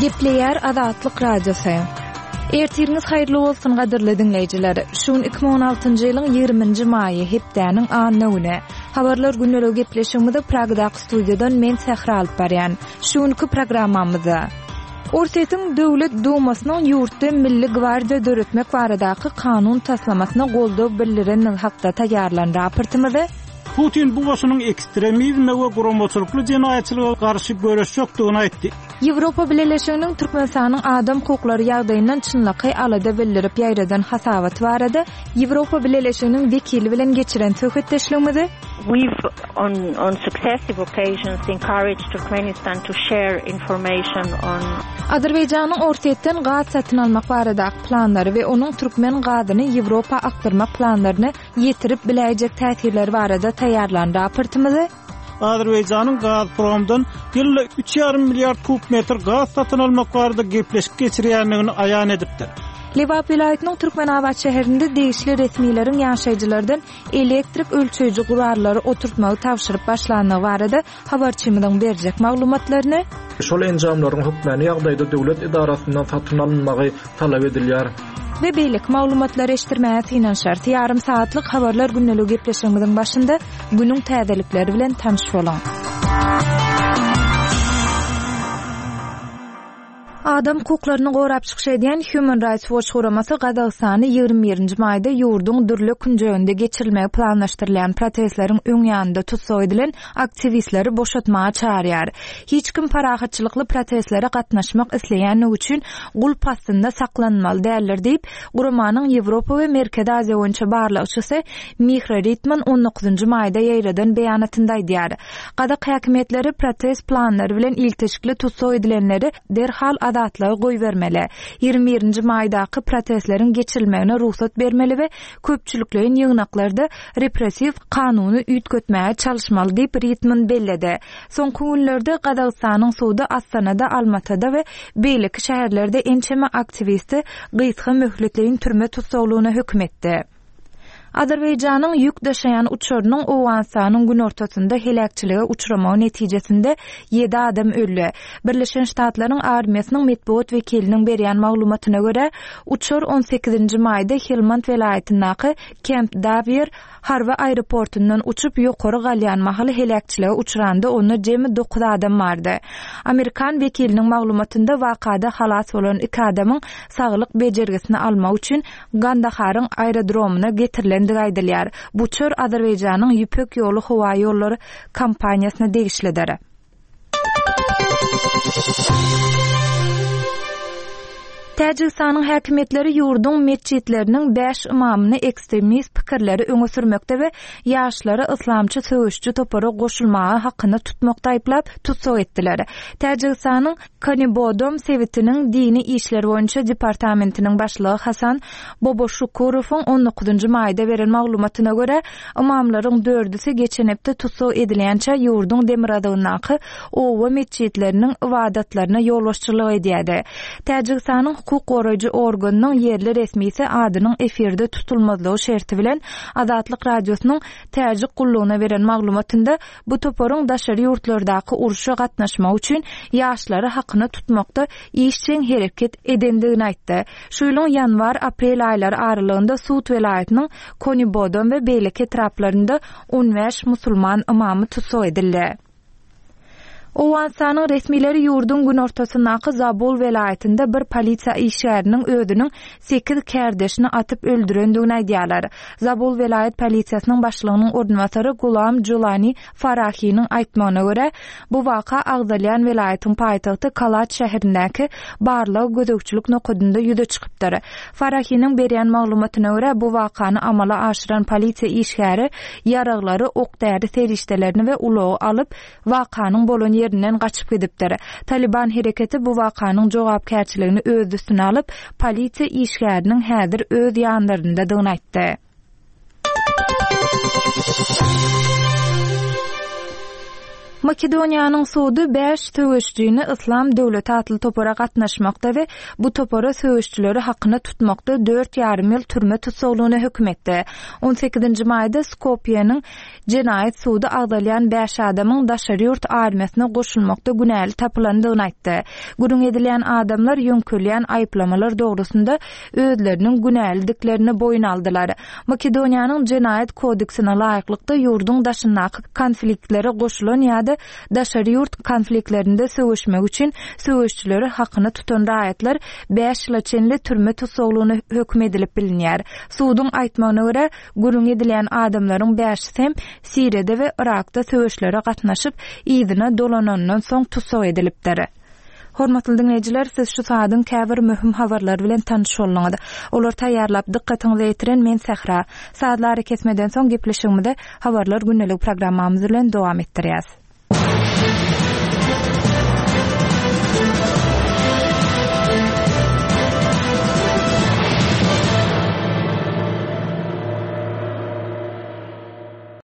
Gepleýär Azatlyk Radiosy. Ertiriňiz haýyrly bolsun gadyrly diňleýjiler. Şu gün 2016-njy ýylyň 20-nji maýy, hepdäniň anna güni. Habarlar gündeligi gepleşigimizi Pragadaky studiýadan men Sähra alyp barýan. Şu günki programmamyzda Orsýetiň Döwlet Dumasynyň ýurtda Milli gwardiýa döretmek baradaky kanun taslamasyna goldaw bildirenligi hakda taýýarlan raportymyzy, Putin bu goşunyň ekstremizme we guramaçylykly jenaýatçylyga garşy göreşjekdigini aýtdy. Ýewropa Bileleşiginiň Türkmenistanyň adam hukuklary ýagdaýyndan çynlakaý alada bildirip ýaýradan hasabaty barada Ýewropa Bileleşiginiň wekili bilen geçiren söhbetdeşligimizi, We've on on successive occasions encouraged Turkmenistan to share information on. Azerbaýjanyň Orsýetden gaz satyn almak baradaky planlary we onuň türkmen gazyny Ýewropa akdyrmak planlaryna ýetirip biläýjek täsirleri barada taýýarlan raportymyzy, Azerbaýjanyň Gazpromdan ýylda üç ýarym milliard kub metr gaz satyn almak barada gepleşik geçirýändigini aýan edipdir. Lebap welaýatynyň Türkmenabat şäherinde degişli resmileriň ýaşaýjylardan elektrik ölçeýji gurallary oturtmagy tabşyryp başlandygy barada habarçymyzyň berjek maglumatlaryny, Şol enjamlaryň hökmany ýagdaýda döwlet edarasyndan satyn alynmagy talap edilýär. We beýleki maglumatlary eşitdirmäge synanyşarys. Ýarym sagatlyk Habarlar gündeligi gepleşigimiziň başynda günüň täzelikleri bilen tanyş boluň. Adam hukuklaryny gorap çykyş edýän Human Rights Watch guramasy Gazagystany 21-nji maýda ýurduň dürli künjeginde geçirilmegi planlaşdyrylýan protestleriň öň ýanynda tussag edilen aktiwistleri boşatmaga çagyrýar. Hiç kim parahatçylykly protestlere gatnaşmak isleýänligi üçin gulp astynda saklanmaly däldir diýip, guramanyň Ýewropa we Merkezi Aziýa boýunça barlagçysy Mihra Ritman on dokuzynjy maýda ýaýradan beýanatynda aýdýar. Gazak häkimiýetleri protest planlary bilen ilteşikli tussag edilenleri derhal azatlyga goýbermeli, 21-nji maýdaky protestleriň geçirilmegine rugsat bermeli we köpçülikleýin ýygnaklarda repressiw kanuny üýtgetmäge çalyşmaly diýip, Ritman belledi. Soňky günlerde Gazagystanyň sudy Astanada, Almatada we beýleki şäherlerde ençeme aktiwisti gysga möhletleýin türme tussaglygyna höküm etdi. Azerbaýjanyň ýük daşaýan uçarynyň Owganystanyň günortasynda heläkçilige uçramagy netijesinde ýedi adam öldi. Birleşen Ştatlaryň armiýasynyň metbugat wekiliniň berýän maglumatyna görä, uçar on sekizinji maýda Helmand welaýatyndaky Kemp Dawier harby aeroportundan uçup ýokary galýan mahaly heläkçilige uçranda onda jemi dokuz adam bardy. Amerikan wekiliniň maglumatynda wakada halas bolan iki adamyň saglyk bejergisini almak üçin Gandaharyň aerodromyna getirilendigi aýdylýar. Bu uçar Azerbaýjanyň Ýüpek ýoly howaýollary kompaniýasyna degişlidir. Täjigistanyň häkimiýetleri ýurduň metjitleriniň bäş ymamyny ekstremist pikirleri öňe sürmekde we ýaşlary yslamçy söweşiji topara goşulmaga hakyna tutmakda aýyplap, tussag etdiler. Täjigistanyň Kanibodom sebitiniň dini işler boýunça departamentiniň başlygy Hasan Boboşukurowyň on dokuzynjy maýda beren maglumatyna görä, ymamlaryň dördüsi geçen hepde tussag edilýänçä ýurduň demirgazygyndaky oba metjitleriniň ybadatlaryna ýolbaşçylyk edýärdi. Täjigistanyň hukuk goraýjy organynyň ýerli resmisi adynyň efirde tutulmazlygy şerti bilen Azatlyk Radiosynyň Täjik gullugyna beren maglumatynda Bu toparyň daşary ýurtlardaky urşa gatnaşmak üçin ýaşlary hakyna tutmakda işjeň hereket edendigini aýtdy. Şu ýylyň ýanwar-aprel aýlary aralygynda Sut welaýatynyň Konibodom we beýleki etraplarynda 15 musulman ymamy tussag edildi. Owganystanyň resmileri ýurduň günortasyndaky Zabul welaýatynda bir polisiýa işgäriniň özüniň sekiz kärdeşini atyp öldürendigini aýdýarlar. Zabul welaýat polisiýasynyň başlygynyň orunbasary Gulam Julani Farahiniň aýtmagyna görä, bu waka agzalýan welaýatyň paýtagty Kalat şäherindäki barlag-gözegçilik nokadynda ýüze çykypdyr. Farahiniň berýän maglumatyna görä, bu wakany amala aşyran polisiýa işgäri ýaraglary, ok-däri serişdelerini we ulagy alyp, wakanyň bolan ýerinden gaçyp gidipdir. Talyban hereketi bu wakanyň jogapkärçiligini öz üstüne alyp, polisiýa işgäriniň häzir öz ýanlaryndadygyny aýtdy. Makedoniýanyň sudy bäş söweşijini Yslam döwleti atly topara gatnaşmakda we bu topara söweşijileri hakyna tutmakda dört ýarym ýyl türme tussaglygyna höküm etdi. On sekizinji maýda Skopýeniň Jenaýat sudy agzalýan bäş adamyň daşary ýurt armiýasyna goşulmakda günäli tapylandygyny aýtdy. Gürrüň edilýän adamlar ýöňkelýän aýyplamalar dogrusynda özleriniň günälidiklerini boýun aldylar. Makedoniýanyň Jenaýat kodeksine laýyklykda ýurduň daşyndaky konfliktlere goşulan ýa-da daşary ýurt konfliktlerinde söweşmek üçin söweşijileri hakyna tutan raýatlar bäş ýyla çenli türme tussaglygyna höküm edilip bilinýär. Suduň aýtmagyna görä, Gürrüň edilýän adamlaryň bäşisi hem Siriýada we Yrakda söweşlere gatnaşyp, yzyna dolananyndan soň tussag edilipdir. Hormatly diňleýjiler, siz şu saadyň käbir möhüm habarlary bilen tanyş bolduňyz. Olary taýýarlap, dykgatyňyza ýetiren men Sähra. Sazly arakesmeden soň gepleşigimizi Habarlar gündeligi programmamyz bilen dowam etdirýäs.